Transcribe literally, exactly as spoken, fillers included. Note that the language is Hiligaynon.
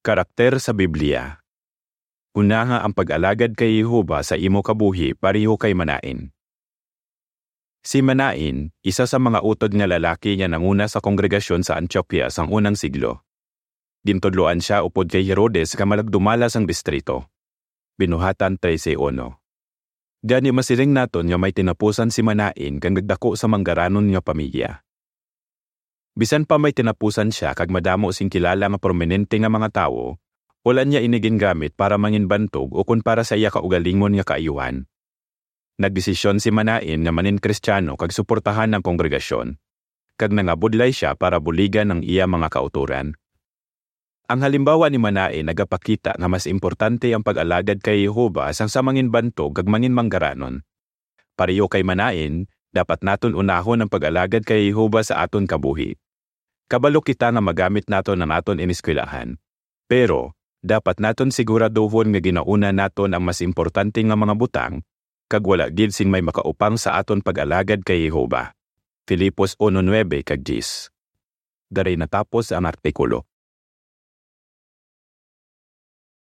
Karakter sa Biblia. Unaha ang pag-alagad kay Jehovah sa imo kabuhi pareho kay Manaen. Si Manaen, isa sa mga utod nga lalaki nga nanguna sa kongregasyon sa Antioquia sang unang siglo. Gintudloan sia upod kay Herodes nga malagdumala sang distrito. Binuhatan trese uno. Gani masiling naton nga may tinapusan si Manaen kag nagdako sa manggaranon nga pamilya. Bisan pa may tinapusan sia kag madamo sing kilala nga prominente nga mga tawo, wala niya ini gingamit para manginbantog ukon para sa iya kaugalingon nga kaayuhan. Nagdesisyon si Manaen nga manin-Kristiyano kag suportahan ang kongregasyon, kag nangabudlay sia para buligan ang iya mga kautoran. Ang halimbawa ni Manaen nagapakita nga mas importante ang pag-alagad kay Jehovah sang sa manginbantog kag manginmanggaranon. Pareho kay Manaen, dapat naton unahon ang pag-alagad kay Jehovah sa aton kabuhi. Kabalo kita nga magamit naton ang aton ineskwelahan. Pero, dapat naton siguraduhon nga ginauna naton ang mas importante nga mga butang, kag wala gid sing may makaupang sa aton pag-alagad kay Jehovah. Filipos uno nuebe kag diyes. Daray natapos ang artikulo.